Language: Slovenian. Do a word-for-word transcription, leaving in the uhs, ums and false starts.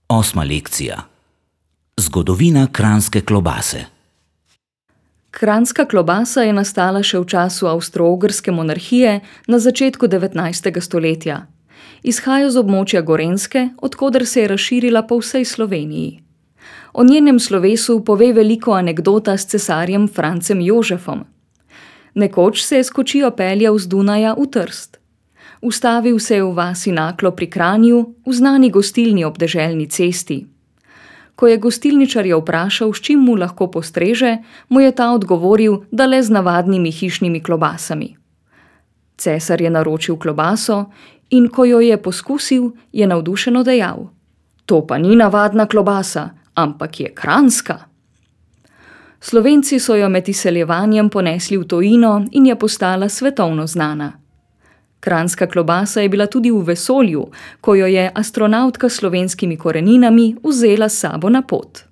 Osma lekcija. Zgodovina kranjske klobase. Kranjska klobasa je nastala še v času Avstro-Ogrske monarhije na začetku devetnajstega stoletja. Izhaja z območja Gorenjske, od koder se je razširila po vsej Sloveniji. O njenem slovesu pove veliko anekdota s cesarjem Francem Jožefom. Nekoč se je s kočijo peljal z Dunaja v Trst. Ustavil se je v vasi Naklo pri Kranju, v znani gostilni ob deželni cesti. Ko je gostilničarja vprašal, s čim mu lahko postreže, mu je ta odgovoril, da le z navadnimi hišnimi klobasami. Cesar je naročil klobaso in ko jo je poskusil, je navdušeno dejal: "To pa ni navadna klobasa, ampak je kranjska." Slovenci so jo med izseljevanjem ponesli v tujino in je postala svetovno znana. Kranjska klobasa je bila tudi v vesolju, ko jo je astronavtka s slovenskimi koreninami vzela s sabo na pot.